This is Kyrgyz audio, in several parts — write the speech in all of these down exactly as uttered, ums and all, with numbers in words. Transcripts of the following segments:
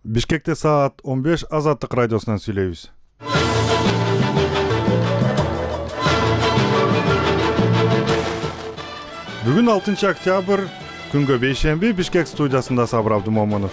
Бишкекте саат он беш Азаттык радиосунан сүйлөйбүз. Бүгүн алтынчы октябрь, күнгө бейшемби, Бишкек студиясында Сабыр Абдымомунов.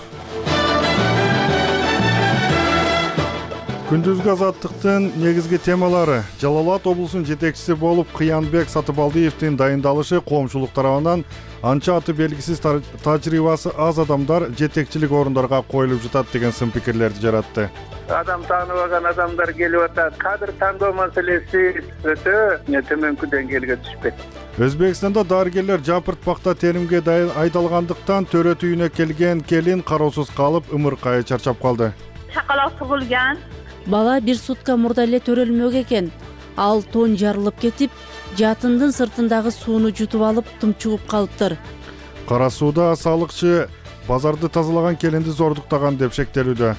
Күндүзгү Азаттыктын негизги темалары: Жалал Абад облусунун жетекчиси болуп Кыянбек Сатыбалдиевдин дайындалышы, коомчулук тарабынан анча аты белгисиз тажрыйбасы аз адамдар жетекчилик орундорго коюлуп жатат деген сын пикирлерди жаратты. Адам тааныбаган адамдар келип атат. Кадр тандоо маселеси өтө төмөнкү деңгээлге түшпөйт. Өзбекстанда дарыгерлер жапыртпакта теримге айдалгандыктан төрөт үйүнө келген келин кароосуз калып, ымыркайы чарчап калды. Чакалак тугулган. Бала бир сутка мурда эле төрөлмөк экен. Ал тон жарылып кетип, жатындын сыртындагы сууну жутуп алып, тумчугуп калыптыр. Кара сууда салыкчы базарды тазалаган келинди зордуктаган деп шектелүүдө.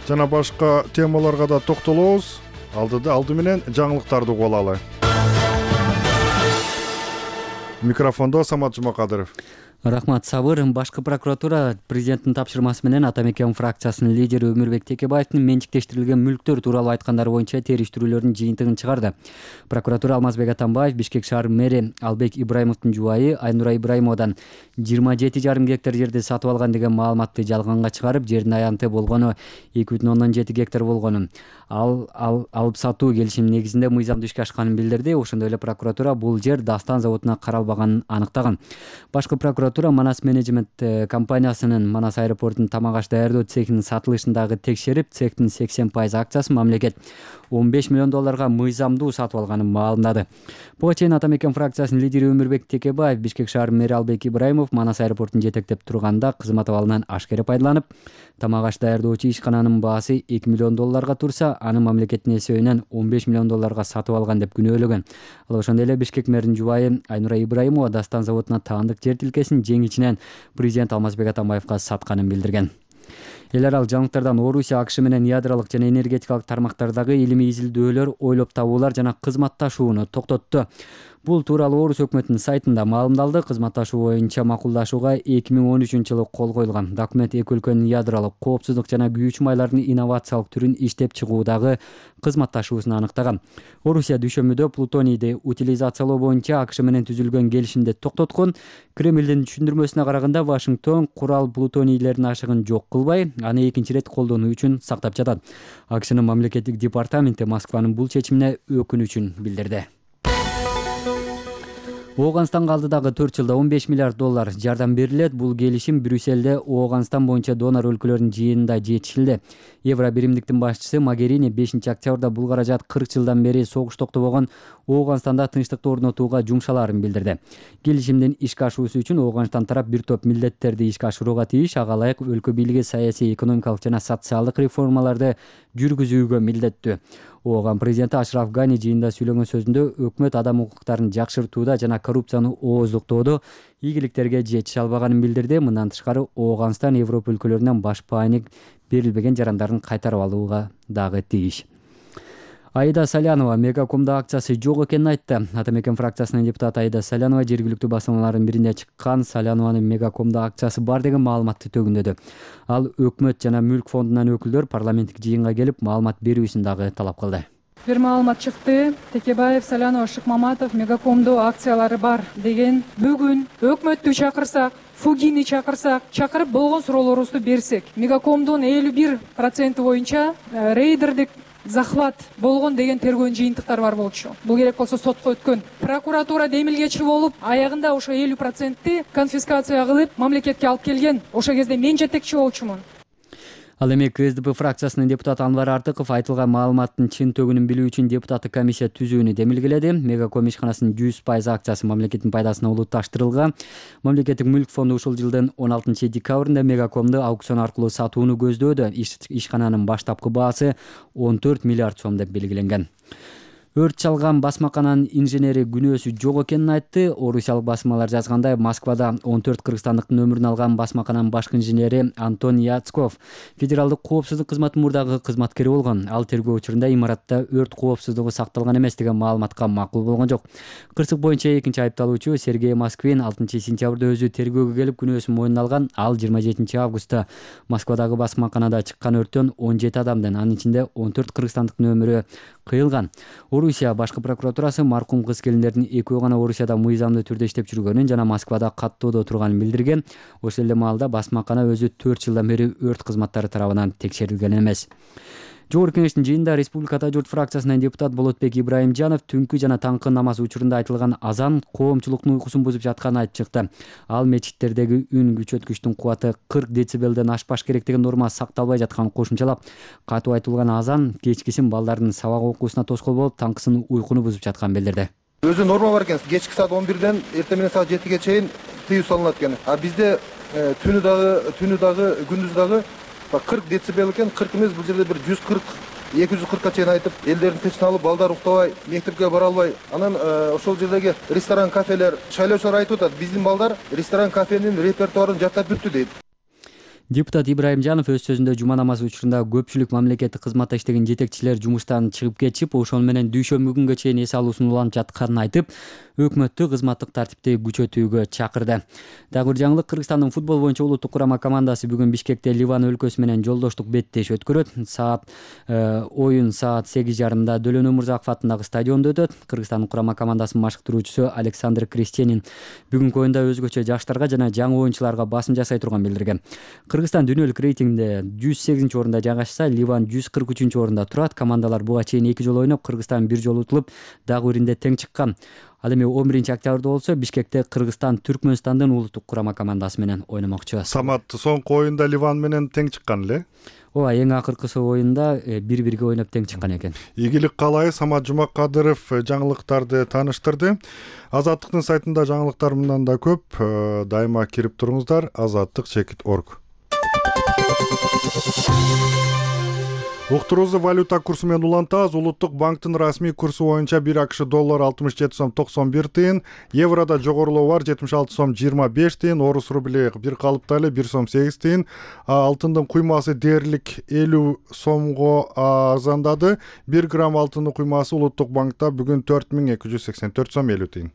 Жана башка темаларга да токтолобуз. Алдыда алды менен жаңылыктарды угуп алалы. Микрофондо Самат Жумакадыров. Рахмат, Сабыр. Башкы прокуратура президенттин тапшырмасы менен Ата Мекен фракциясынын лидери Өмүрбек Текебаевдин менчиктештирилген мүлктөр тууралуу айткандары боюнча териштирүүлөрдүн жыйынтыгын чыгарды. Прокуратура Алмазбек Атамбаев Бишкек шаар мэри Албек Ибраимовдун жубайы Айнура Ибраимовадан жыйырма жети жарым гектар жерди сатып алган деген маалыматты жалганга чыгарып, жердин аянты болгону эки бүтүн ондон жети гектар болгонун, ал алып сатуу келишим негизинде мыйзамдуу ишке ашканын билдирди. Ошондой эле прокуратура бул жер Дастан заводуна каралбаганын аныктаган. Башкы прокуратура Манас менеджмент компаниясынын Манас аэропортунун тамак аш даярдоо цехинин сатылышындагы текшерип, цехтин сексен пайыз акчасын мамлекет он беш миллион долларга мыйзамдуу сатып алганын маалымдады. Буга чейин Ата Мекен фракциясынын лидери Өмүрбек Текебаев Бишкек шаар мэри Албек Ибраимов Манас аэропортун жетектеп турганда кызмат абалынан ашкере пайдаланып, тамак аш даярдоочу ишкананын баасы эки миллион долларга турса, аны мамлекеттин эсебинен он беш миллион долларга сатып алган деп күнөөлөгөн. Ал ошондой эле Бишкек мэринин жубайы Айнура Ибраимова Дастан заводуна таандык жер тилкесин жеңичинен президент Алмазбек Атамбаевга сатканын билдирген. Эл аралык жаңылыктардан Орусия АКШ менен ядролук жана энергетикалык тармактардагы илимий изилдөөлөр, ойлоп табуулар жана кызматташууну токтотту. Бул тууралуу Орус өкмөтүнүн сайтында маалымдалды. Кызматташуу боюнча макулдашууга эки миң он үчүнчү жылы кол коюлган. Документ эки өлкөнүн ядролук коопсуздук жана күйүүчү майлардын инновациялык түрүн иштеп чыгуудагы кызматташуусун аныктаган. Орусия дүйшөмбүдө плутонийди утилизациялоо боюнча АКШ менен түзүлгөн келишимди токтоткон. Кремлдин түшүндүрмөсүнө караганда, Вашингтон курал плутонийлердин ашыгын жок кылбай, аны экинчи ирет колдонуу үчүн сактап жатат. АКШнын мамлекеттик департаменти Москванын бул чечимине өкүнүчүн билдирди. Ооганстанга алдыдагы төрт жылда он беш миллиард доллар жардам берилет. Бул келишим Брюсселде Ооганстан боюнча донор өлкөлөрдүн жыйынында жетишилди. Евро биримдиктин башчысы Магерини бешинчи октябрда бул каражат кырк жылдан бери согуш токтобогон Ооганстанда тынчтыкты орнотууга жумшалаарын билдирди. Келишимдин ишке ашуусу үчүн Ооганстан тарап бир топ милдеттерди ишке ашырууга тийиш, ага ылайык өлкө бийлиги саясий, экономикалык жана социалдык реформаларды жүргүзүүгө милдеттүү. Ооган президенти Ашраф Гани жыйында сүйлөгөн сөзүндө өкмөт адам укуктарын жакшыртууда жана коррупцияны ооздуктоодо ийгиликтерге жетише албаганын билдирди. Мындан тышкары Ооганстан Европа өлкөлөрүнөн баш пайник берилбеген жарандарын кайтарып алууга дагы тийиш. Аида Салянова Мегакомдо акциясы жок экенин айтты. Ата Мекен фракциясынын депутаты Аида Салянова жергиликтүү басылмалардын биринде чыккан Салянованын Мегакомдо акциясы бар деген маалыматты төгүндөдү. Ал өкмөт жана мүлк фондунан өкүлдөр парламенттик жыйынга келип маалымат берүүсүн дагы талап кылды. Бир маалымат чыкты. Текебаев, Салянова, Шыкмаматов Мегакомдо акциялары бар деген. Бүгүн өкмөттү чакырсак, Фугини чакырсак, чакырып болгон суроолорубузду берсек, Мегакомдон элүү бир проценти боюнча рейдердик захват болгон деген тергөө жыйынтыктар бар болчу. Бул керек болсо сотко өткөн. Прокуратура демилгечи болуп, аягында ошо элүү процентти конфискация кылып, мамлекетке алып келген. Ошо кезде мен жетекчи болчумун. Ал эми КСДП фракциясынын депутаты Анвар Артыков айтылган маалыматтын чын төгүнүн билүү үчүн депутаттык комиссия түзүүнү демилгеледи. Мегаком ишканасынын жүз пайыз акциясы мамлекеттин пайдасына улутташтырылган. Мамлекеттик мүлк фонду ушул жылдын он алтынчы декабрында Мегакомду аукцион аркылуу сатууну көздөөдө. Ишкананын баштапкы баасы он төрт миллиард сом деп белгиленген. Өрт чалган басмакананын инженери күнөөсү жок экенин айтты. Орусиялык басмалар жазгандай, Москвада он төрт кыргызстандыктын өмүрүн алган басмакананын башкы инженери Антон Яцков федералдык коопсуздук кызматы мурдагы кызматкери болгон. Ал тергөө учурунда имаратта өрт коопсуздугу сакталган эмес деген маалыматка макул болгон жок. Кырсык боюнча экинчи айыпталуучу Сергей Москвин алтынчы сентябрда өзү тергөөгө келип күнөөсүн мойнуна алган. Ал жыйырма жетинчи августта Москвадагы басмаканада чыккан өрттөн он жети адамдын, анын ичинде он төрт кыргызстандыктын өмүрү кыйылган. Орусия башкы прокуратурасы маркум кыз келиндердин экөө гана Орусияда мыйзамдуу түрдө иштеп жүргөнүн жана Москвада каттоодо турганын билдирген. Ошол эле маалда басмакана өзү төрт жылдан бери өрт кызматтары тарабынан текшерилген эмес. Жогорку Кеңештин жыйынында Республикада журт фракциясынан депутат Болотбек Ибраимжанов түнкү жана таңкы намаз учурунда айтылган азан коомчулуктун уйкусун бузуп жатканын айтып чыкты. Ал мечиттердеги үн күчөткүчтүн кубаты кырк децибелден ашпаш керек деген норма сакталбай жатканын кошумчалап, катуу айтылган азан кечкисин балдардын сабак окуусуна тоскоол болуп, таңкысын уйкуну бузуп жатканын билдирди. Өзү норма бар экен, кечки саат он бирден эртең менен саат жетиге чейин тыюу салынат экен. А бизде түнү дагы, түнү дагы, күндүз дагы кырк децибел экен. кырк эмес, бул жерде бир жүз кырк, эки жүз кыркка чейин айтып, элдердин тынчын алып, балдар уктабай, мектепке бара албай. Анан ошол жердеги ресторан, кафелер, шайлоочулар айтып атат, биздин балдар ресторан, кафенин репертуарын жаттап бүттү дейт. Депутат Ибраимжанов өз сөзүндө жума намазы учурунда көпчүлүк мамлекеттик кызматта иштеген жетекчилер жумуштан чыгып кетишип, ошол менен дүйшөмбү күнгө чейин эс алуусун уланып жатканын айтып, өкмөттү кызматтык тартипти күчөтүүгө чакырды. Дагы бир жаңылык, Кыргызстандын футбол боюнча улуттук курама командасы бүгүн Бишкекте Ливан өлкөсү менен жолдоштук беттеш өткөрөт. Саат оюн саат сегиз жарымда Дөлөн Өмурзаков атындагы стадиондо өтөт. Кыргызстандын курама командасынын машыктыруучусу Александр Крестенин бүгүнкү оюнда өзгөчө жаштарга жана жаңы оюнчуларга басым жасай турганын билдирген. Кыргызстан дүйнөлүк рейтингде жүз сегизинчи орунда жайгашса, Ливан жүз кырк үчүнчү орунда турат. Командалар буга чейин эки жолу ойноп, Кыргызстан бир жолу утулуп, дагы биринде тең чыккан. Ал эми он биринчи октябрда болсо Бишкекте Кыргызстан Түркмөнстандын улуттук курама командасы менен ойномокчу. Самат, соңку оюнда Ливан менен тең чыккан эле. Ооба, эң акыркысы оюнда бири-бирге ойноп тең чыккан экен. Ийгилик каалайбыз. Самат Жумакадыров жаңылыктарды тааныштырды. Азаттыктын сайтында жаңылыктар мындан да көп. Дайыма кирип туруңуздар. азаттык чекит точка орг. Уктуруубузду валюта курсу менен улантабыз. Улуттук банктын расмий курсу боюнча бир акш доллар алтымыш жети сом токсон бир тыйын, еврода жогорулоо бар жетимиш алты сом жыйырма беш тыйын, орус рубли бир калыпта эле бир сом сегиз тыйын, алтындын куймасы дээрлик элүү сомго арзандады. бир грамм алтындын куймасы улуттук банкта бүгүн төрт миң эки жүз сексен төрт сом элүү тыйын.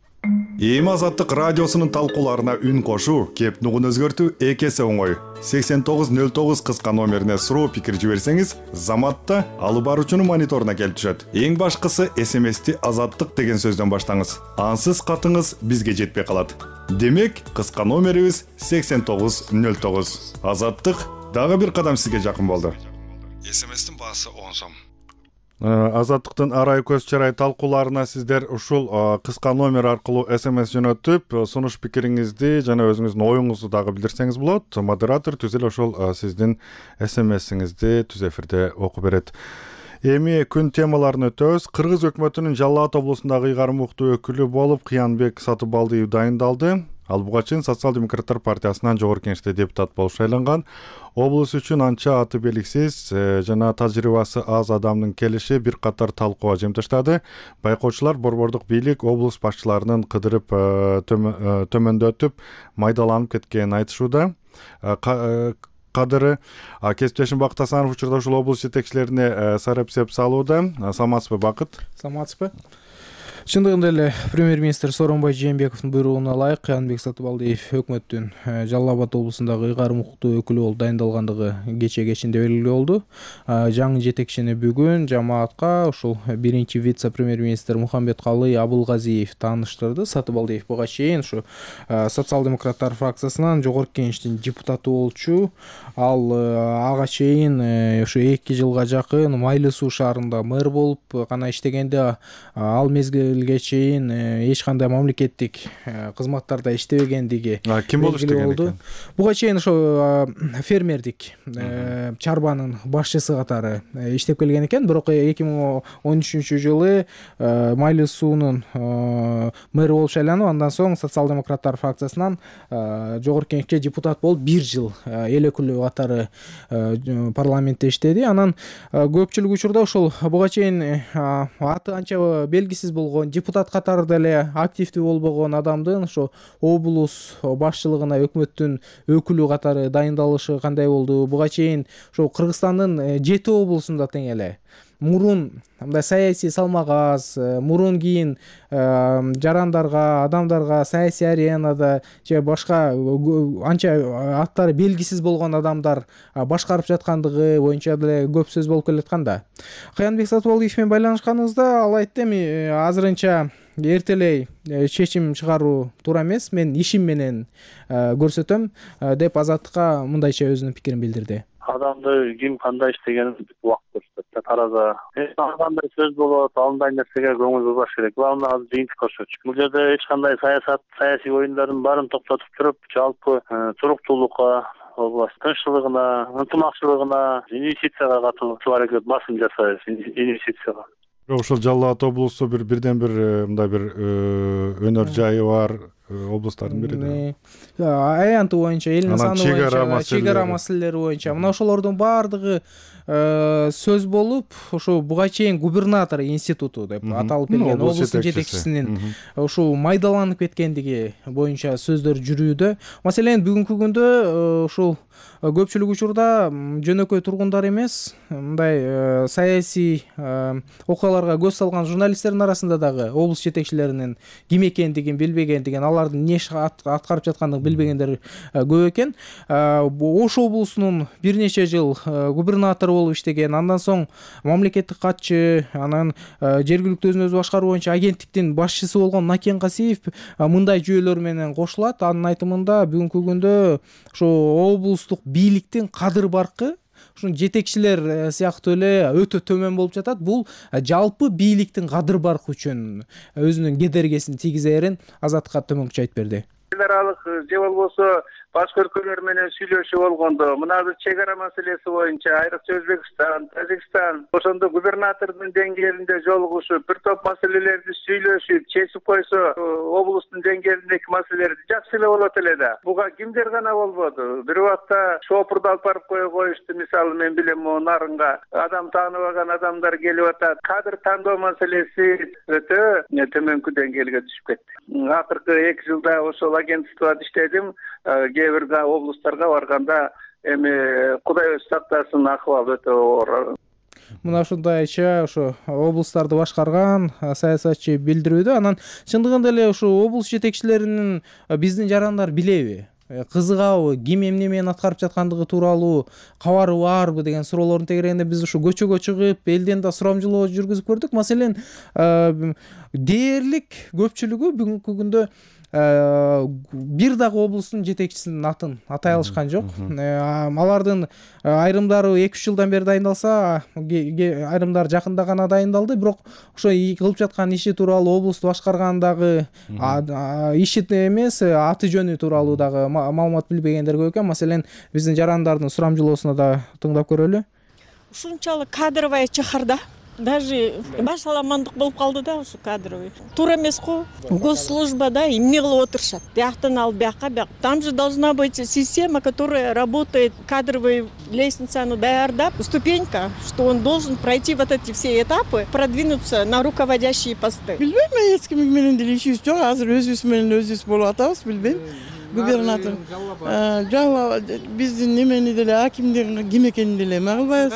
Эми Азаттык радиосунун талкууларына үн кошуу, кеп нугун өзгөртүү эки эсе оңой. сексен тогуз нөл тогуз кыска номерине суроо пикир жиберсеңиз, заматта алып баруучунун мониторуна келип түшөт. Эң башкысы эс эм эсти Азаттык деген сөздөн баштаңыз. Ансыз катыңыз бизге жетпей калат. Демек, кыска номерибиз сексен тогуз нөл тогуз. Азаттык дагы бир кадам сизге жакын болду. эс эм эстин баасы он сом. Азаттыктын арай көз чарай талкууларына сиздер ушул кыска номер аркылуу эс эм эс жөнөтүп, сунуш пикириңизди жана өзүңүздүн оюңузду дагы билдирсеңиз болот. Модератор түзүл ошол сиздин эс эм эсиңизди түз эфирде окуп берет. Эми күн темаларын өтөбүз. Кыргыз өкмөтүнүн Жалал Абад облусундагы ыйгарым уктуу өкүлү болуп Кыянбек Сатыбалдиев дайындалды. Ал буга чейин Социал-демократтар партиясынан жогорку кеңеште депутат болуп шайланган. Облус үчүн анча аты белгисиз жана тажрыйбасы аз адамдын келиши бир катар талкууга жемтиштады. Байкоочулар борбордук бийлик облус башчыларынын кыдырып төмөндөтүп майдаланып кеткенин айтышууда. Кадыры кесиптешим Бакыт Асанов учурда ушул облус жетекчилерине сарапсеп салууда. Саламатсызбы, Бакыт? Саламатсызбы. Чындыгында эле премьер-министр Сооронбай Жээнбековдун буйругуна ылайык Кыянбек Сатыбалдиев өкмөттүн Жалал Абад облусундагы ыйгарым уктуу өкүлү болуп дайындалгандыгы кече кечинде белгилүү болду. Жаңы жетекчини бүгүн жамаатка ушул биринчи вице-премьер-министр Мухамбеткалый Абылгазиев тааныштырды. Сатыбалдиев буга чейин ушу Социал-демократтар фракциясынан жогорку кеңештин депутаты болчу. Ал ага чейин ушу эки жылга жакын Майлуу суу шаарында мэр болуп гана иштегенде, ал мезгил мезгилге чейин эч кандай мамлекеттик кызматтарда иштебегендиги ким болуп иштеген экен? Буга чейин ошо фермердик чарбанын башчысы катары иштеп келген экен. Бирок эки миң он үчүнчү жылы Майлуу суунун мэри болуп шайланып, андан соң социал-демократтар фракциясынан жогорку кеңешке депутат болуп бир жыл эл өкүлү катары парламентте иштеди. Анан көпчүлүк учурда ошол буга чейин аты анча белгисиз болгон, депутат катары деле активдүү болбогон адамдын ошо облус башчылыгына өкмөттүн өкүлү катары дайындалышы кандай болду? Буга чейин ошо Кыргызстандын жети облусунда тең эле мурун мындай саясий салмак аз, мурун кийин жарандарга, адамдарга саясий аренада же башка анча аттары белгисиз болгон адамдар башкарып жаткандыгы боюнча деле көп сөз болуп келаткан да. Каянбек Сатыбалдиев менен байланышканыбызда ал айтты: эми азырынча эртелей чечим чыгаруу туура эмес, мен ишим менен көрсөтөм деп Азаттыкка мындайча өзүнүн пикирин билдирди. Адамды ким кандай иштегенин убакыт көрсөтөт. Тараза кандай сөз болот, андай нерсеге көңүл бурбаш керек. Главное азыр жыйынтык көрсөтүш. Бул жерде эч кандай саясат, саясий оюндардын баарын токтотуп туруп, жалпы туруктуулукка, область тынччылыгына, ынтымакчылыгына, инвестицияга катуу аракет басым жасайбыз. Инвестицияга. Ошол Жалал Абад облусу бир бирден бир мындай бир өнөр жайы бар облустардын бири да. Аянты боюнча, элдин саны боюнча, чегара маселелери боюнча мына ошолордун баардыгы сөз болуп, ошо буга чейин губернатор институту деп аталып келген облустун жетекчисинин ошо майдаланып кеткендиги боюнча сөздөр жүрүүдө. Маселен, бүгүнкү күндө ушул көпчүлүк учурда жөнөкөй тургундар эмес, мындай саясий окуяларга көз салган журналисттердин арасында дагы облус жетекчилеринин ким экендигин билбегендигин, алардын эмне иш аткарып жаткандыгын билбегендер көп экен. Ош облусунун бир нече жыл губернатору болуп иштеген, андан соң мамлекеттик катчы, анан жергиликтүү өзүн өзү башкаруу боюнча агенттиктин башчысы болгон Накен Касиев мындай жүйөлөр менен кошулат. Анын айтымында бүгүнкү күндө ошо облустук бийликтин кадыр баркы ушун жетекчилер сыяктуу эле өтө төмөн болуп жатат. Бул жалпы бийликтин кадыр баркы үчүн өзүнүн кедергесин тийгизерин Азаттыкка төмөнкүчө айтып берди. Эл аралык же болбосо башка өлкөлөр менен сүйлөшүү болгондо, мына бир чегара маселеси боюнча айрыкча Өзбекстан, Тажикстан ошондо губернатордун деңгээлинде жолугушуп, бир топ маселелерди сүйлөшүп, чечип койсо, облустун деңгээлиндеги маселелерди жакшы эле болот эле да. Буга кимдер гана болбоду. Бир убакта шопурду алып барып кое коюшту. Мисалы, мен билем, могу Нарынга адам тааныбаган адамдар келип атат. Кадр тандоо маселеси өтө төмөнкү деңгээлге түшүп кетти. Акыркы эки жылда ошол агентствода иштедим. Кээ бир облустарга барганда эми Кудай өзү сактасын, акыбал өтө оор. Мына ушундайча ошо облустарды башкарган саясатчы билдирүүдө. Анан чындыгында эле ошо облус жетекчилеринин биздин жарандар билеби? Кызыгабы, ким эмне менен аткарып жаткандыгы тууралуу кабары барбы деген суроолордун тегерегинде биз ушу көчөгө чыгып, элден да сурамжылоо жүргүзүп көрдүк. Маселен, дээрлик көпчүлүгү бүгүнкү күндө бир дагы облустун жетекчисинин атын атай алышкан жок. Алардын айрымдары эки үч жылдан бери дайындалса, айрымдары жакында гана дайындалды. Бирок ошо кылып жаткан иши тууралуу, облусту башкаргандагы иши эмес, аты жөнү тууралуу дагы маалымат билбегендер көп экен. Маселен, биздин жарандардын сурамжылоосуна да тыңдап көрөлү. Ушунчалык кадровая чыхарда. Даже баш аламандык болуп калды да ушу кадровый. Туура эмес го. Госслужбада эмне кылып отурушат? Бияктан алып бияка, бияк. Там же должна быть система, которая работает, кадровый лестницаны даярдап, ступенька, что он должен пройти вот эти все этапы, продвинуться на руководящие посты. Билбейм, мен эч ким менен деле ишибиз жок. Азыр өзүбүз менен өзүбүз болуп атабыз, билбейм. Губернатор жала биздин немени деле, акимдин ким экенин деле эме кылбайбыз.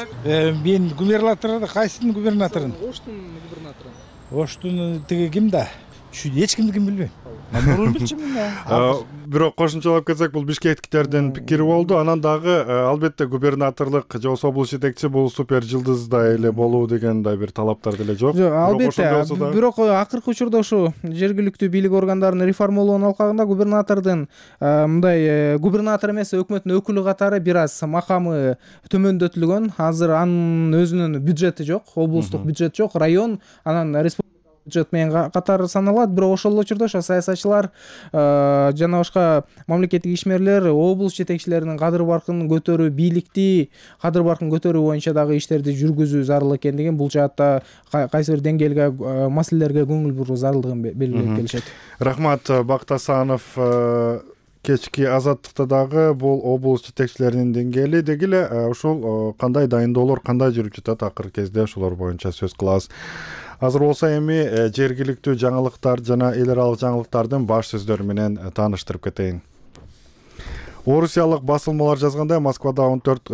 Мен губернаторду, кайсынын губернаторун? Оштун губернатору. Оштун тиги ким да? Эч кимдикин билбейм. Мурун билчүмүн да. Бирок кошумчалап кетсек, бул бишкектиктердин пикири болду. Анан дагы албетте губернаторлук же болбосо облус жетекчиси бул супер жылдыздай эле болуу деген да бир талаптар деле жок. Албетте, бирок акыркы учурда ушу жергиликтүү бийлик органдарынын реформалоонун алкагында губернатордун мындай губернатор эмес, өкмөттүн өкүлү катары бир аз макамы төмөндөтүлгөн. Азыр анын өзүнүн бюджети жок, облустук бюджет жок, район анан республика бюджет менен катар саналат. Бирок ошол эле учурда ошо саясатчылар жана башка мамлекеттик ишмерлер облус жетекчилеринин кадыр баркын көтөрүү, бийликти кадыр баркын көтөрүү боюнча дагы иштерди жүргүзүү зарыл экен деген, бул жаатта кайсы бир деңгээлге, маселелерге көңүл буруу зарылдыгын белгилеп келишет. Рахмат, Бакыт Асанов. Кечки Азаттыкта дагы бул облус жетекчилеринин деңгээли деги эле ушул кандай дайындоолор кандай жүрүп жатат, акыркы кезде ошолор боюнча сөз кылабыз. Азыр болсо эми жергиликтүү жаңылыктар жана эл аралык жаңылыктардын баш сөздөрү менен тааныштырып кетейин. Орусиялык басылмалар жазгандай, Москвада он төрт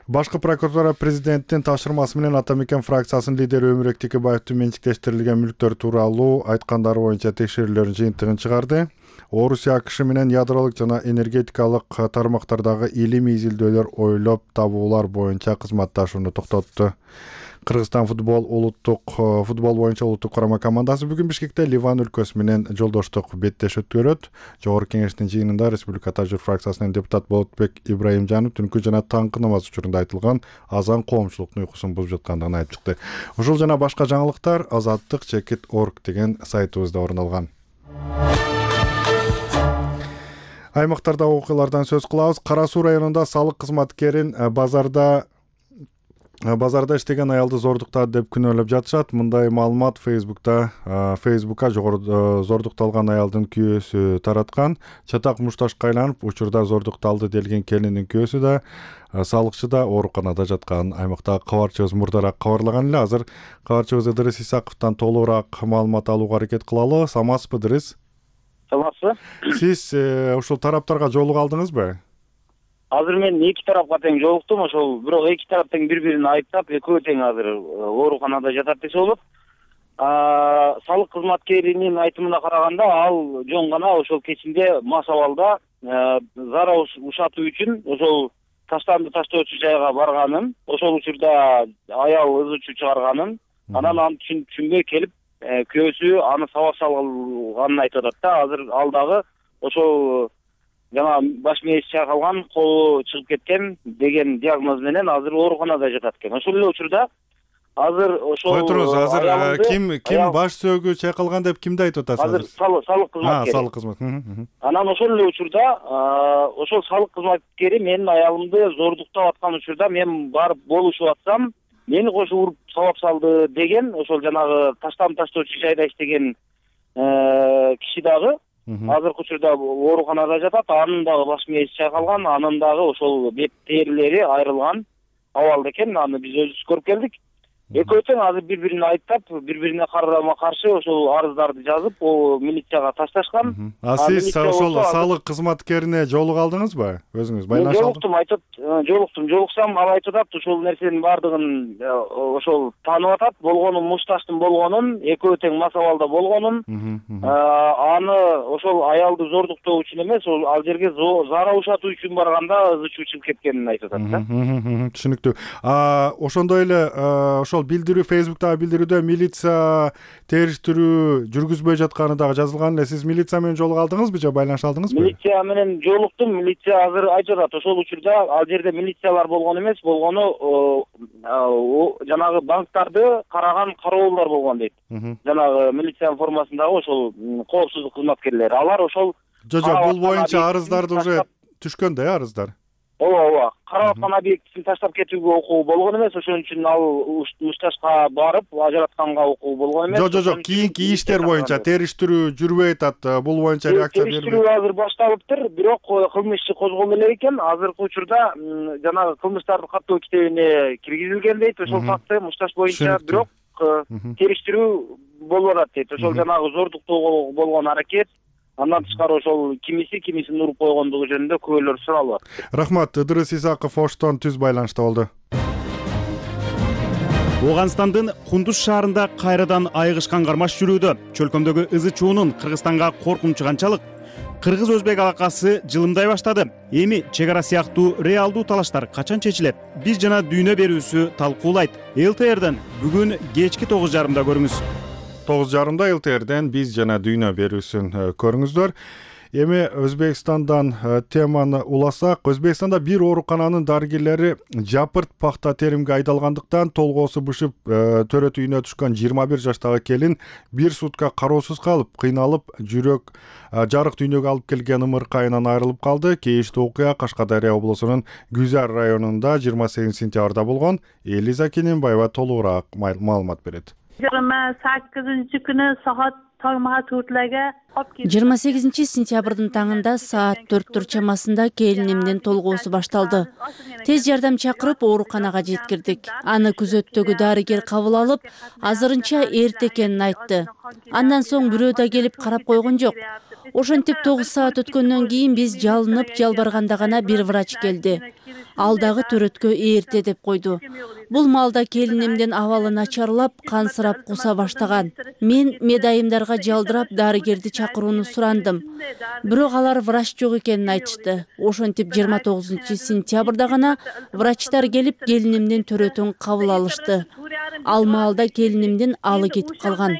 башкы прокуратура президенттин тапшырмасы менен Ата Мекен фракциясынын лидери Өмүрбек Текебаевдин менчиктештирилген мүлктөр тууралуу айткандары боюнча текшерүүлөрдүн жыйынтыгын чыгарды. Орусия АКШ менен ядролук жана энергетикалык тармактардагы илимий изилдөөлөр ойлоп табуулар боюнча кызматташууну токтотту. Кыргызстан футбол улуттук футбол боюнча улуттук курама командасы бүгүн Бишкекте Ливан өлкөсү менен жолдоштук беттеш өткөрөт. Жогорку кеңештин жыйынында Республика Тажик фракциясынын депутат Болотбек Ибраимжанов түнкү жана таңкы намаз учурунда айтылган азан коомчулуктун уйкусун бузуп жаткандыгын айтып чыкты. Ушул жана башка жаңылыктар азаттык чекит точка орг деген сайтыбызда орун алган. Аймактарда окуялардан сөз кылабыз. Кара Суу районунда салык кызматкерин базарда базарда иштеген аялды зордуктады деп күнөөлөп жатышат. Мындай маалымат Facebook'та Facebook'a жогору зордукталган аялдын күйөөсү тараткан. Чатак мушташка айланып, учурда зордукталды делген келиндин күйөөсү да, салыкчы да ооруканада жатканын аймактагы кабарчыбыз мурдараак кабарлаган эле. Азыр кабарчыбыз Ыдырыс Исаковдон толугураак маалымат алууга аракет кылалы. Саламатсызбы, Ыдырыс? Саламатсызбы. Сиз ушул тараптарга жолуга алдыңызбы? Азыр мен эки тарапка тең жолуктум, ошол бирок эки тарап тең бири-бирин айыптап, экөө тең азыр ооруканада жатат десе болот. Салык кызматкеринин айтымына караганда, ал жөн гана ошол кечинде мас абалда зарар ушатуу үчүн ошол таштанды таштоочу жайга барганын, ошол учурда аял ыз учуу чыгарганын, анан аны түшүнбөй келип, күйөөсү аны сабап салганын айтып атат да. Азыр ал дагы ошол жана баш мээси чайкалган, колу чыгып кеткен деген диагноз менен азыр ооруканада жатат экен. Ошол эле учурда азыр ошол Кой туруңуз, азыр ким ким баш сөөгү чайкалган деп кимди айтып атасыз? Азыр салык кызматкери. А, салык кызмат. Анан ошол эле учурда ошол салык кызматкери менин аялымды зордуктап аткан учурда мен барып болушуп атсам, мени кошо уруп сабап салды деген ошол жанагы таштам таштоочу жайда иштеген киши дагы азыркы учурда ооруканада жатат. Анын дагы баш мээси чайкалган, анын дагы ошол бет терилери айрылган абалда экен. Аны биз өзүбүз көрүп келдик. Экөө тең азыр бири-бирин айыптап, бири-бирине карама каршы ошол арыздарды жазып, о милицияга ташташкан. А сиз ошол салык кызматкерине жолуга алдыңызбы? Өзүңүз байланыш алдыңызбы? Жолуктум, айтып, жолуктум. Жолуксам ал айтып атат, ошол нерсенин бардыгын ошол таанып атат, болгонун мушташтын болгонун, экөө тең мас абалда болгонун, аны ошол аялды зордуктоо үчүн эмес, ал жерге зарар ушатуу үчүн барганда ызы чуу чыгып кеткенин айтып атат да. Түшүнүктүү. Ошондой эле ошол билдирүү Facebook'та билдирүүдө милиция териштирүү жүргүзбөй жатканы дагы жазылган эле. Сиз милиция менен жолуга алдыңызбы же байланыша алдыңызбы? Милиция менен жолуктум. Милиция азыр айтып атат, ошол учурда ал жерде милициялар болгон эмес, болгону жанагы банктарды караган кароолдор болгон дейт. Жанагы милициянын формасындагы ошол коопсуздук кызматкерлери. Алар ошол Жо, жо, бул боюнча арыздарды уже түшкөн да, арыздар. Ооба, ооба. Карап аткан объектисин таштап кетүүгө укугу болгон эмес, ошон үчүн ал мушташка барып, ажыратканга укугу болгон эмес. Жо, жо, жок, кийинки иштер боюнча териштирүү жүрбөй атат. Бул боюнча реакция бербейт. Териштирүү азыр башталыптыр, бирок кылмыш иши козголду эле экен. Азыркы учурда жанагы кылмыштарды каттоо китебине киргизилген дейт, ошол факты мушташ боюнча, бирок териштирүү болуп атат дейт. Ошол жанагы зордуктоого болгон аракет, андан тышкары ошол кимиси кимисин уруп койгондугу жөнүндө күбөлөр суралып атат. Рахмат. Ыдырыс Исаков Оштон түз байланышта болду. Ооганстандын Кундуз шаарында кайрадан айыгышкан кармаш жүрүүдө. Чөлкөмдөгү ызы чуунун Кыргызстанга коркунучу канчалык? Кыргыз-өзбек алакасы жылымдай баштады. Эми чек ара сыяктуу реалдуу талаштар качан чечилет? Биз жана дүйнө берүүсү талкуулайт. эл тэ эрден бүгүн кечки тогуз жарымда көрүңүз. тогуз жарымда эл тэ эрден биз жана дүйнө берүүсүн көрүңүздөр. Эми Өзбекстандан теманы уласак, Өзбекстанда бир оорукананын дарыгерлери жапырт пахта теримге айдалгандыктан толгоосу бышып төрөт үйүнө түшкөн жыйырма бир жаштагы келин бир сутка кароосуз калып, кыйналып, жүрөк жарык дүйнөгө алып келген ымыркайынан айрылып калды. Кейиштүү окуя Кашкадария облусунун Гүзар районунда жыйырма сегизинчи сентябрда болгон. Элиза Кененбаева толугураак маалымат берет. жыйырма sakkizinchi kuni soat tongma to'rtlarga жыйырма сегизинчи сентябрдын таңында саат төрттөр чамасында келинимдин толгоосу башталды. Тез жардам чакырып ооруканага жеткирдик. Аны күзөттөгү дарыгер кабыл алып, азырынча эрте экенин айтты. Андан соң бирөө да келип карап койгон жок. Ошентип тогуз саат өткөндөн кийин биз жалынып жалбарганда гана бир врач келди. Ал дагы төрөткө эрте деп койду. Бул маалда келинимдин абалы начарлап, кансырап куса баштаган. Мен медайымдарга жалдырап дарыгерди чакырууну сурандым. Бирок алар врач жок экенин айтышты. Ошентип жыйырма тогузунчу сентябрда гана врачтар келип келинимдин төрөтүн кабыл алышты. Ал маалда келинимдин алы кетип калган.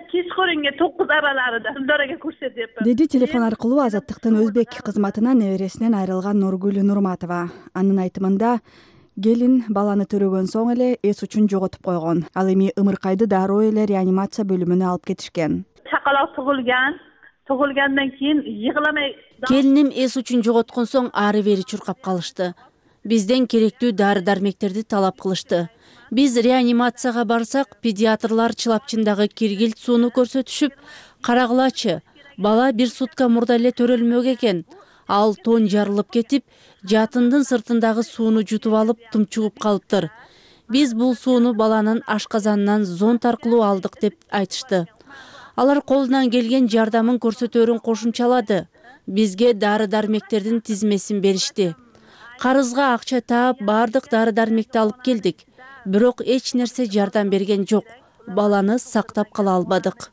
kechqurungi to'qqiz aralarida Dildoraga ko'rsatyapman деди телефон аркылуу Азаттыктын өзбек кызматына небересинен айрылган Нургүл Нурматова. Анын айтымында келин баланы төрөгөн соң эле эс учун жоготуп койгон. Ал эми ымыркайды дароо эле реанимация бөлүмүнө алып кетишкен. chaqaloq tug'ilgan tug'ilgandan keyin yig'lamay Келиним эс учун жоготкон соң ары бери чуркап калышты. Бизден керектүү дары-дармектерди талап кылышты. Биз реанимацияга барсак, педиатрлар чылапчындагы киргилт сууну көрсөтүшүп, карагылачы, бала бир сутка мурда эле төрөлмөк экен. Ал тон жарылып кетип, жатындын сыртындагы сууну жутуп алып, тумчугуп калыптыр. Биз бул сууну баланын ашказанынан зонт аркылуу алдык деп айтышты. Алар колунан келген жардамын көрсөтөрүн кошумчалады. Бизге дары-дармектердин тизмесин беришти. Карызга акча таап, бардык дары-дармекти алып келдик. Бирок эч нерсе жардам берген жок. Баланы сактап кала албадык.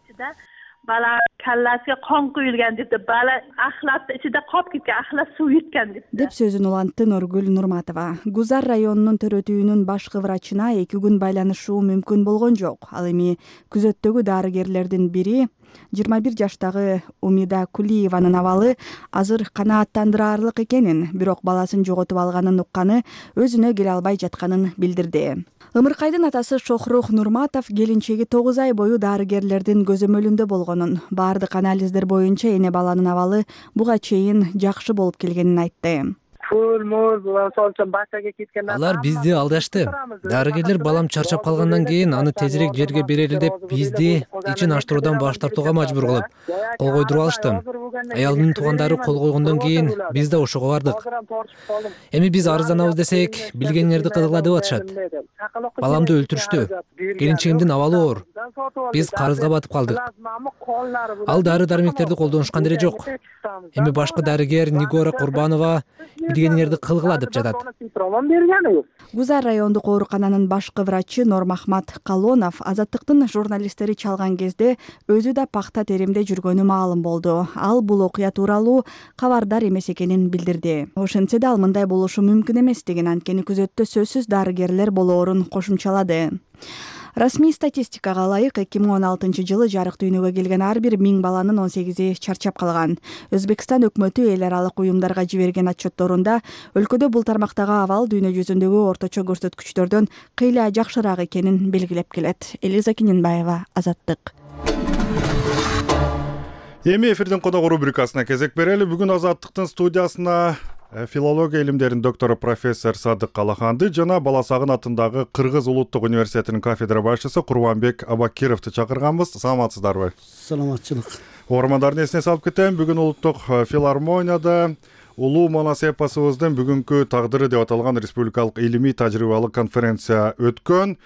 Bala kallasiga qon quyilgan debdi. Bala axlatda ichida qolib ketgan, axlat suv yutgan debdi. деп сөзүн улантты Нургүл Нурматова. Гузар районунун төрөтүүнүн башкы врачына эки күн байланышуу мүмкүн болгон жок. Ал эми күзөттөгү дарыгерлердин бири жыйырма бир жаштагы Умида Кулиеванын абалы азыр канааттандыраарлык экенин, бирок баласын жоготуп алганын укканы өзүнө келе албай жатканын билдирди. Ымыркайдын атасы Шохрух Нурматов келинчеги тогуз ай бою дарыгерлердин көзөмөлүндө болгонун, бардык анализдер боюнча эне баланын абалы буга чейин жакшы болуп келгенин айтты. Алар бизди алдашты. Дарыгерлер балам чарчап калгандан кийин аны тезирээк жерге берели деп бизди ичин аштыруудан баш тартууга мажбур кылып, кол койдуруп алышты. Аялдын туугандары кол койгондон кийин биз да ошого бардык. Эми биз арызданабыз десек, билгениңерди кылгыла деп атышат. Баламды өлтүрүштү. Келинчегимдин абалы оор. Биз карызга батып калдык. Ал дары-дармектерди колдонушкан деле жок. Эми башкы дарыгер Нигора Курбанова билгениңерди кылгыла деп жатат. Гузар райондук оорукананын башкы врачы Нормахмат Калонов Азаттыктын журналисттери чалган кезде өзү да пахта теримде жүргөнү маалым болду. Ал бул окуя тууралуу кабардар эмес экенин билдирди. Ошентсе да ал мындай болушу мүмкүн эместигин, анткени күзөттө сөзсүз дарыгерлер болоорун кошумчалады. Расмий статистикага ылайык эки миң он алтынчы жылы жарык дүйнөгө келген ар бир миң баланын он сегизи чарчап калган. Өзбекстан өкмөтү эл аралык уюмдарга жиберген отчетторунда өлкөдө бул тармактагы абал дүйнө жүзүндөгү орточо көрсөткүчтөрдөн кыйла жакшыраак экенин белгилеп келет. Элиза Кененбаева, Азаттык. Эми эфирдин коногу рубрикасына кезек берели. Бүгүн Азаттыктын студиясына филология илимдеринин доктору профессор Садык Калаханды жана Баласагын атындагы Кыргыз улуттук университетинин кафедра башчысы Курбанбек Абакировду чакырганбыз. Саламатсыздарбы? Саламатчылык. Угармандардын эсине салып кетем, бүгүн улуттук филармонияда Улуу Манас эпосубуздун бүгүнкү тагдыры деп аталган республикалык илимий тажрыйбалык конференция өткөн.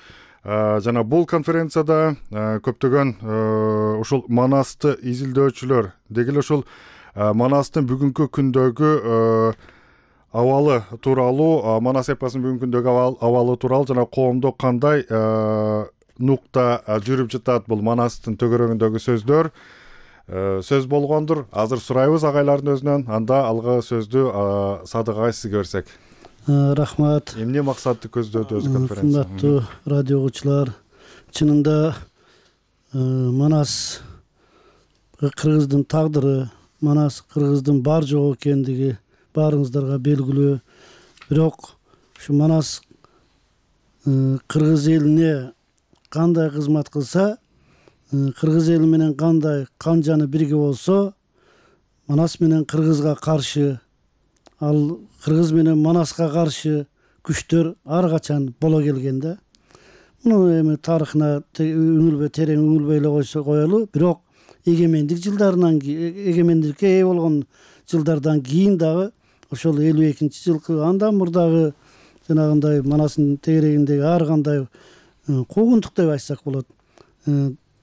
Жана бул конференцияда көптөгөн ушул Манасты изилдөөчүлөр, деги эле ушул Манастын бүгүнкү күндөгү абалы тууралуу, Манас эпосунун бүгүнкү күндөгү абалы тууралуу жана коомдо кандай нукта жүрүп жатат, бул Манастын төгөрөгүндөгү сөздөр сөз болгондур. Азыр сурайбыз агайлардын өзүнөн, анда алгы сөздү Садык агай сизге берсек. Рахмат. Эмне максатты көздөдү өз конференция? Урматтуу радио угуучулар, чынында Манас Кыргыздын тагдыры, Манас кыргыздын бар жок экендиги баарыңыздарга белгилүү. Бирок ушу Манас кыргыз элине кандай кызмат кылса, кыргыз эли менен кандай кан жаны бирге болсо, Манас менен кыргызга каршы, ал кыргыз менен Манаска каршы күчтөр ар качан боло келген да. Муну эми тарыхына үңүлбөй терең үңүлбөй эле койсо коелу. Бирок эгемендик жылдарынан эгемендикке ээ болгон жылдардан кийин дагы ошол элүү экинчи жылкы андан мурдагы жанагындай Манастын тегерегиндеги ар кандай куугунтук деп айтсак болот,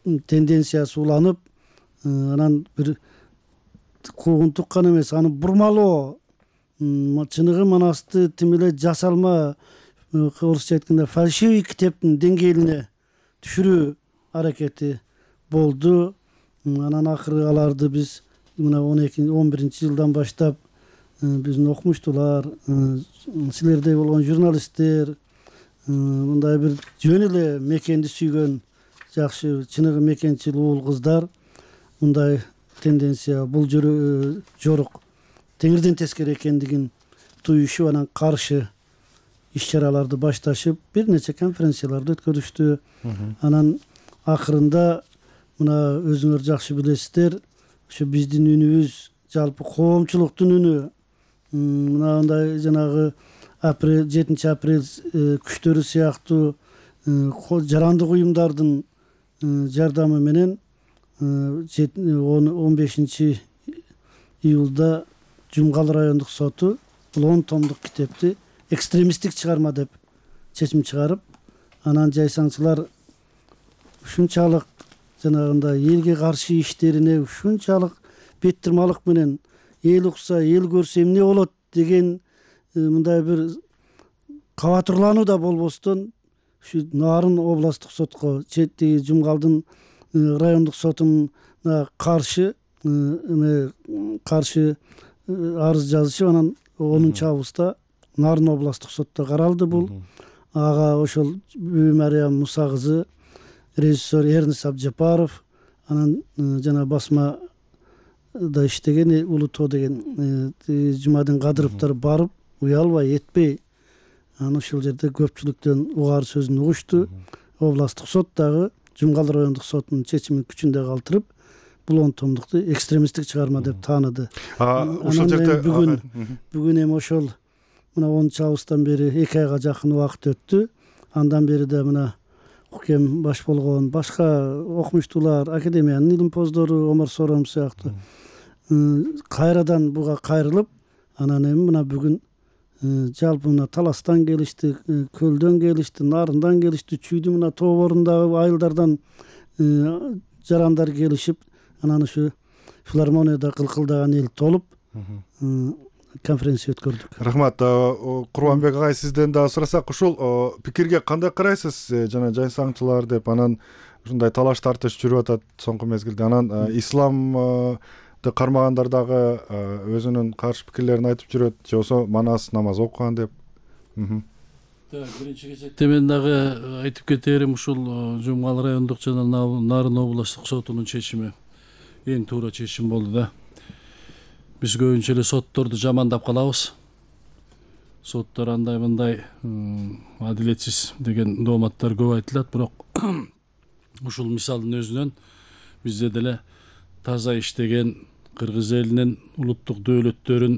тенденциясы уланып, анан бир куугунтук гана эмес, аны бурмалоо, чыныгы Манасты тим эле жасалма, орусча айтканда фальшивый китептин деңгээлине түшүрүү аракети болду. Анан акыры аларды биз мына он экинчи он биринчи жылдан баштап биздин окумуштуулар, силердей болгон журналисттер, мындай бир жөн эле мекенди сүйгөн жакшы чыныгы мекенчил уул кыздар мындай тенденция, бул жорук теңирден тескери экендигин туюшуп, анан каршы иш-чараларды башташып, бир нече конференцияларды өткөрүштү. Анан акырында мына өзүңөр жакшы билесиздер, ушу биздин үнүбүз жалпы коомчулуктун үнү, мынандай жанагы апрель жетинчи апрель күчтөрү сыяктуу жарандык уюмдардын жардамы менен он бешинчи июлда Жумгал райондук соту бул он томдук китепти экстремисттик чыгарма деп чечим чыгарып, анан жайсаңчылар ушунчалык жанагындай элге каршы иштерине ушунчалык беттирмалык менен эл укса, эл көрсө эмне болот деген мындай бир кабатырлануу да болбостон ушу Нарын областтык сотко, чети Жумгалдын райондук сотуна каршы каршы арыз жазышып, анан онунчу августта Нарын областтык сотто каралды бул. Ага ошол Мариям Муса кызы, режиссер Эрнис Абжапаров, анан жана басмада иштеген Улуу Тоо деген Жумадин Кадыровдор барып, уялбай этпей, анан ошол жерде көпчүлүктөн угары сөзүн угушту. Областтык сот дагы Жумгал райондук сотунун чечимин күчүндө калтырып, бул он томдукту экстремисттик чыгарма деп тааныды. Ошол жерде бүгүн бүгүн эми ошол мына онунчу августтан бери эки айга жакын убакыт өттү. Андан бери да мына укем баш болгон башка окумуштуулар, академиянын илимпоздору Омар Сором сыяктуу кайрадан буга кайрылып, анан эми мына бүгүн жалпы мына Таластан келишти, Көлдөн келишти, Нарындан келишти, Чүйдүн мына тооборундагы айылдардан жарандар келишип, анан ушу филармонияда кылкылдаган эл толуп конференция өткөрдүк. Рахмат. Курманбек агай, сизден дагы сурасак, ушул пикирге кандай карайсыз? Жана жайсаңчылар деп анан ушундай талаш тартыш жүрүп атат соңку мезгилде. Анан исламды кармагандар дагы өзүнүн каршы пикирлерин айтып жүрөт, же болбосо Манас намаз окуган деп. Биринчи кезекте мен дагы айтып кетерим, ушул Жумгал райондук жана Нарын областтык сотунун чечими эң туура чечим болду да. Биз көбүнчө эле сотторду жамандап калабыз. Соттор андай мындай адилетсиз деген дооматтар көп айтылат, бирок ушул мисалдын өзүнөн бизде деле таза иштеген кыргыз элинин улуттук дөөлөттөрүн,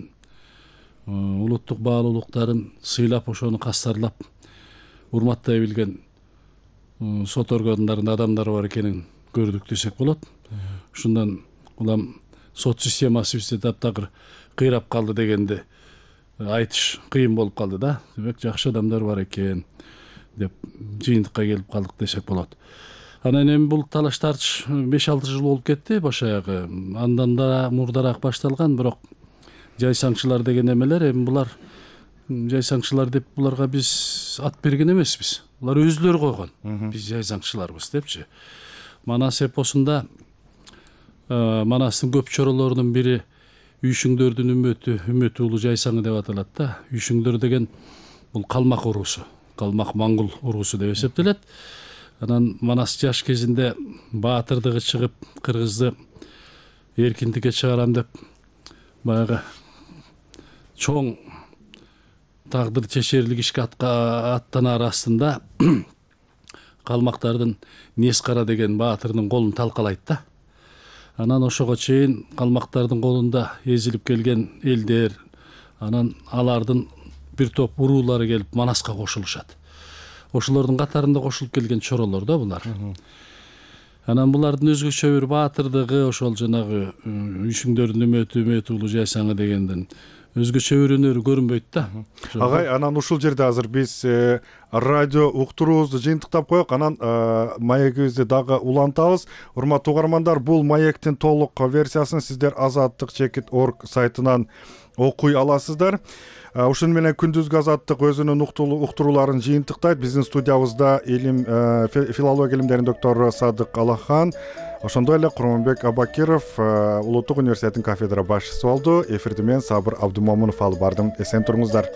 улуттук баалуулуктарын сыйлап, ошону кастарлап, урматтай билген сот органдарынын адамдары бар экенин көрдүк десек болот. Ушундан улам сот системасы бизде таптакыр кыйрап калды дегенди айтыш кыйын болуп калды да. Демек жакшы адамдар бар экен деп жыйынтыкка келип калдык десек болот. Анан эми бул талаш тартыш беш алты жыл болуп кетти баш аягы. Андан да мурдараак башталган, бирок жайсаңчылар деген эмелер, эми булар жайсаңчылар деп буларга биз ат берген эмеспиз. Булар өзүлөрү койгон. Биз жайсаңчыларбыз депчи. Манас эпосунда Манастын көп чоролорунун бири Үйшүңдөрдүн үмөтү, үмөтү улуу жайсаңы деп аталат да. Үйшүңдөр деген бул калмак уруусу, калмак моңгол уруусу деп эсептелет. Анан Манас жаш кезинде баатырдыгы чыгып, кыргызды эркиндикке чыгарам деп баягы чоң тагдыр чечерлик ишке аттанаар астында калмактардын Нескара деген баатырдын колун талкалайт да. Анан ошого чейин калмактардын колунда эзилип келген элдер, анан алардын бир топ уруулары келип Манаска кошулушат. Ошолордун катарында кошулуп келген чоролор да булар. Анан булардын өзгөчө бир баатырдыгы ошол жанагы үйшүңдөрдүн үмөтү үмөт уулу жайсаңы дегенден өзгөчө бир өнөрү көрүнбөйт да. Агай, анан ушул жерде азыр биз радио уктуруубузду жыйынтыктап коелук, анан маегибизди дагы улантабыз. Урматтуу угармандар, бул маектин толук версиясын сиздер азаттык чекит орг сайтынан окуй аласыздар. Ушун менен күндүзгү азаттык өзүнүн уктурууларын жыйынтыктайт. Биздин студиябызда илим филология илимдеринин доктору Садык Алахан, ошондой эле Курманбек Абакиров Улуттук университеттин кафедра башчысы болду. Эфирди мен Сабыр Абдумомунов алып бардым. Эсен туруңуздар.